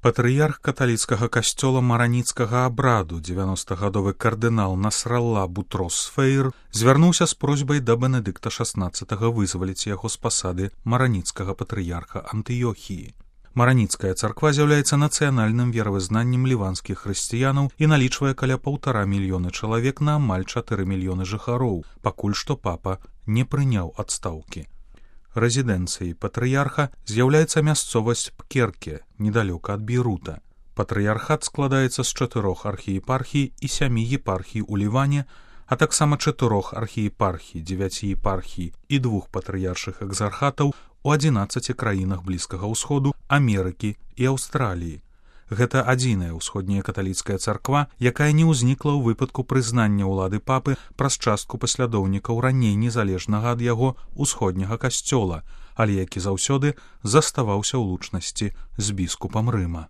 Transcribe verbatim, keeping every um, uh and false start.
Патрыярх каталіцкага касцёла мараніцкага абраду, дзевяностагадовы кардынал Насралла Бутрос Сфейр, звярнуўся з просьбай да Бенедыкта шаснаццатага вызваліць яго з пасады мараніцкага патрыярха Антыёхіі. Мараніцкая царква з'яўляецца нацыянальным веравызнаннем ліванскіх хрысціянаў і налічвае каля паўтара мільёны чалавек на амаль чатыры мільёны жыхароў, пакуль што папа не прыняў адстаўкі. Рэзідэнцыяй патрыярха з'яўляецца мясцовасць Пкерке, недалёка ад Бейрута. Патрыярхат складаецца з чатырох архіепархій і сямі епархій у Ліване, а таксама чатырох архіепархій, дзевяці епархій і двух патрыяршых экзархатаў у адзінаццаці краінах Блізкага ўсходу, Амерыкі і Аўстраліі. Гэта адзіная ўсходняя каталіцкая царква, якая не ўзнікла ў выпадку прызнання ўлады папы праз частку паслядоўнікаў раней незалежнага ад яго усходняга касцёла, але які заўсёды заставаўся ў лучнасці з біскупам Рыма.